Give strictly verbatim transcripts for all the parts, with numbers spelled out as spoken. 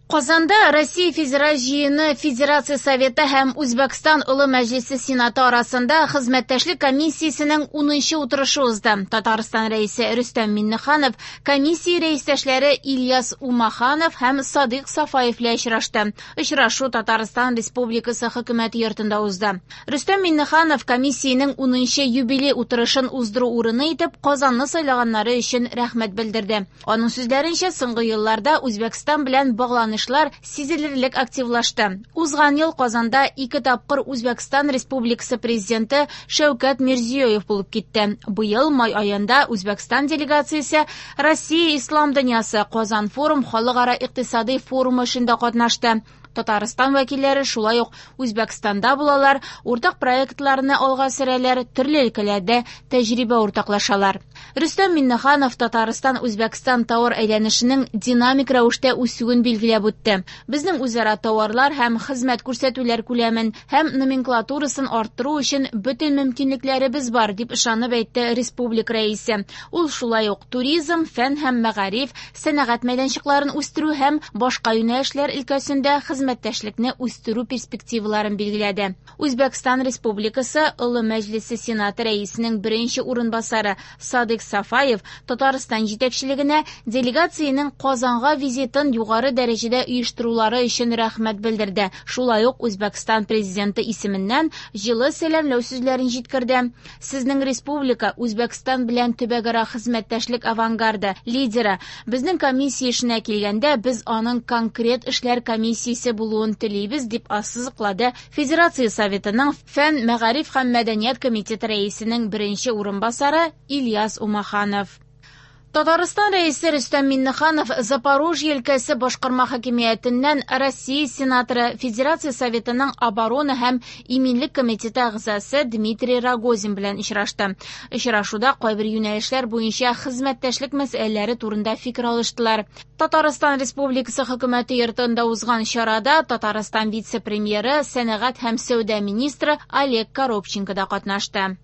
Казанда Россия Федераль Җыены Федерация Советы һәм Үзбәкстан Олы Мәҗлесе Сенаты арасында хезмәттәшлек комиссиясенең унынчы утырышы узды. Татарстан Рәисе Рөстәм Миңнеханов комиссия рәистәшләре Ильяс Умаханов һәм Садыйк Сафаев белән очрашты. Очрашу Татарстан Республикасы Хөкүмәте йортында узды. Рөстәм Миңнеханов комиссиянең унынчы юбилей утырышын уздыру урыны итеп Казанны сайлаганнары өчен рәхмәт белдерде. Аның сүзләренчә, соңгы елларда Үзбәкстан белән багланыш сизелерлек активлашты. Узган ел Казанда ике тапкыр Үзбәкстан Республикасы президенты Шәүкәт Мирзиёев булып китте. Быел май аенда Үзбәкстан делегациясе Россия Ислам дөньясы Казан форум халыкара икътисади форумы эшендә катнашты. Татарстан вәкилләре шулай ук Үзбәкстанда булалар, уртак проектларны алга сөрәләр, төрле өлкәләрдә тәҗрибә уртаклашалар. Рөстәм Миңнеханов Татарстан Үзбәкстан тауар әйләнешенең динамик рәвештә үсүен билгеләп үтте. Безнең үзара тауарлар һәм хезмәт күрсәтүләр күләмен һәм номенклатурасын арттыру өчен бөтен мөмкинлекләребез бар, дип ышанып әйтте республика рәисе. Ул шулай ук туризм, фән һәм мәгариф, сәнәгать мәйданчыкларын үстерү һәм башка юнәлешләр өлкәсендә хезмәттәшлекне үстерү перспективаларын билгеләде. Үзбәкстан Республикасы Олы Мәҗлесе Сенаты рәисенең беренче урынбасары Садыйк Сафаев Татарстан җитәкчелегенә делегациянең Казанга визитын югары дәрәҗәдә оештырулары өчен рәхмәт белдерде. Шулай ук Үзбәкстан президенты исеменнән җылы сәламләү сүзләрен җиткерде. Сезнең республика Үзбәкстан белән төбәкара хезмәттәшлек авангарды, лидеры. Безнең комиссия эшенә килгәндә, без аның конкрет эшләр комиссиясе булуын телибез, дип ассызыклады Федерация Советының Фән, мәгариф һәм мәдәният комитеты рәисенең беренче урынбасары Ильяс Умаханов. Татарстан Рәисе Рөстәм Миңнеханов Запорожье өлкәсе башкарма хакимиятеннән Россия сенаторы, Федерация Советының оборона һәм иминлек комитеты әгъзасы Дмитрий Рогозин белән очрашты. Очрашуда кайбер юнәлешләр буенча хезмәттәшлек мәсьәләләре турында фикер алыштылар. Татарстан Республикасы Хөкүмәте йортында узган чарада Татарстан вице-премьеры, сәнәгать һәм сәүдә министры Олег Коробченко да катнашты.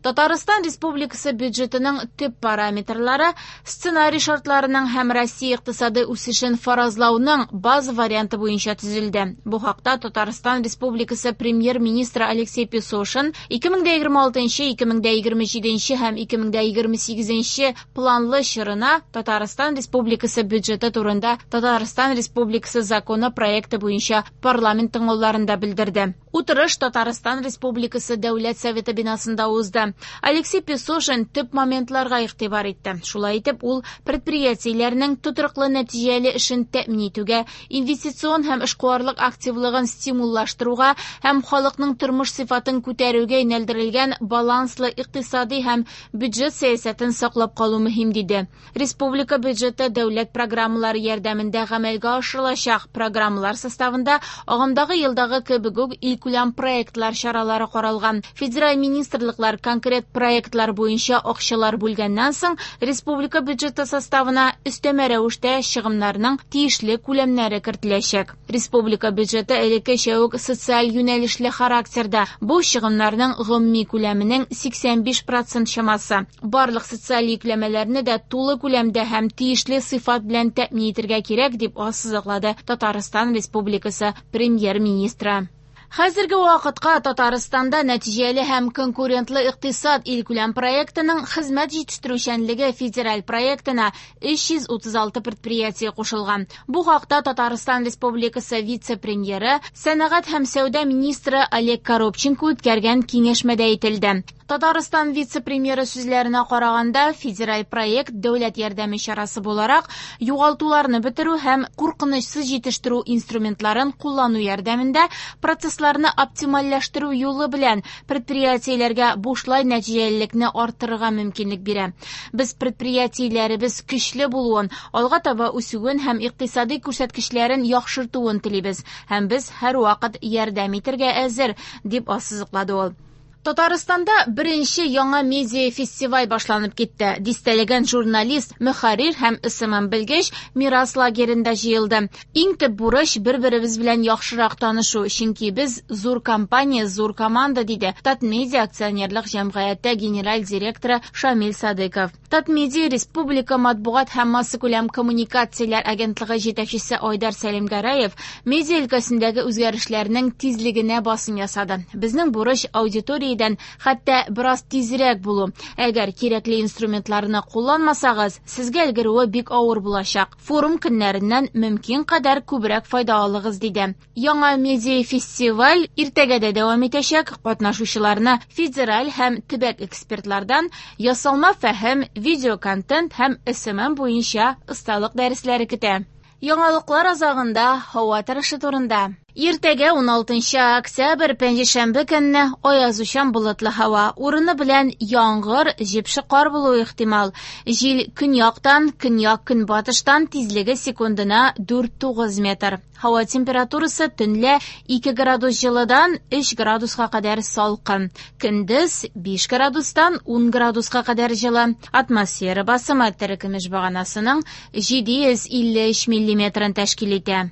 Татарстан Республикасы бюджетының төп параметрлары сценарий шартларының һәм Россия икътисады үсешен фаразлауның база варианты буенча төзелде. Бу хакта Татарстан Республикасы премьер-министры Алексей Песошин ике мең дә егерме алтынчы, ике мең дә егерме җиденче һәм ике мең дә егерме сигезенче планлы чорына Татарстан Республикасы бюджеты турында Татарстан Республикасы законы проекты буенча парламент тыңлауларында белдерде. Утырыш Татарстан Республикасы Дәүләт Советы бинасында узды. Алексей Песошин төп моментларга игътибар итте. Шулай итеп, ул предприятиеләрнең тотрыклы нәтиҗәле эшен тәэмин итүгә, инвестицион һәм эшкуарлык активлыгын стимуллаштыруга һәм халыкның тормыш сыйфатын күтәрүгә юнәлдерелгән баланслы икътисади һәм бюджет сәясәтен саклап калу мөһим, диде. Республика бюджеты дәүләт программалары ярдәмендә гамәлгә ашырылачак. Программалар составында агымдагы елдагы кебек үк илкүләм проектлар чаралары каралган. Федераль министрлыклар конкрет проектлар буенча акчалар бүлгәннән соң республика бюджеты составына өстәмә рәвештә чыгымнарның тиешле күләмнәре кертеләчәк. Республика бюджеты элеккечә үк социаль юнәлешле характерда. Бу чыгымнарның гомуми күләменең сиксән биш процент чамасы. Барлык социаль йөкләмәләрне дә тулы күләмдә һәм тиешле сыйфат белән тәэмин итәргә кирәк, дип ассызыклады Татарстан Республикасы премьер-министры. Хәзерге вакытка Татарстанда нәтиҗәле һәм конкурентлы икътисад илкүләм проектының хезмәт җитештерүчәнлеге федераль проектына өч йөз утыз алты предприятие кушылган. Бу хакта Татарстан Республикасы вице-премьеры, сәнәгать һәм сәүдә министры Олег Коробченко үткәргән киңәшмәдә әйтелде. Татарстан вице-премьеры сүзләренә караганда, федераль проект дәүләт ярдәме чарасы буларак югалтуларны бетерү һәм куркынычсыз җитештерү инструментларын куллану ярдәмендә процессларны оптимальләштерү юлы белән предприятиеләргә бушлай нәтиҗәлелекне арттырырга мөмкинлек бирә. Без предприятиеләребез көчле булуын, алга таба үсүен һәм икътисади күрсәткечләрен яхшыртуын телибез һәм без һәрвакыт ярдәм итәргә әзер, дип ассызыклады ул. Татарстанда беренче яңа медиа фестиваль башланып китте. Дистәләгән журналист, мөхәррир һәм эс эм эм белгеч Мирас лагеренда җыелды. Иң төп бурыч бер-беребез белән яхшырак танышу, чөнки без зур компания, зур команда, диде Татмедиа акционерлык җәмгыяте генераль директоры Шамил Садыков. Татмедиа республика матбугат һәм массакүләм коммуникацияләр агентлыгы җитәкчесе Айдар Сәлимгәрәев медиа өлкәсендәге үзгәрешләрнең тизлегенә басым ясады. Безнең бурыч аудитория хәтта бераз тизрәк булу. Әгәр кирәкле инструментларны кулланмасагыз, сезгә өлгерүе бик авыр булачак. Форум көннәреннән мөмкин кадәр күбрәк файда алыгыз, диде. Яңа медиа фестиваль иртәгә дә дәвам итәчәк. Катнашучыларны федераль һәм төбәк экспертлардан ясалма фәһем, видеоконтент һәм эс эм эм буенча осталык дәресләре көтә. Яңалыклар азагында һава торышы турында. Иртәгә ун алтынчы октябрь пәнҗешәмбе көнне аязучан болытлы һава, урыны белән яңгыр, җепшек кар булуы ихтимал. Җил көньяктан, көньяк-көнбатыштан тизлеге секундына дүрт тугыз метр. Һава температурасы төнлә ике градус җылыдан өч градуска кадәр салкын. Көндез биш градустан ун градуска кадәр җылы. Атмосфера басымы терекөмеш баганасының җиде йөз илле өч миллиметрын тәшкил итә.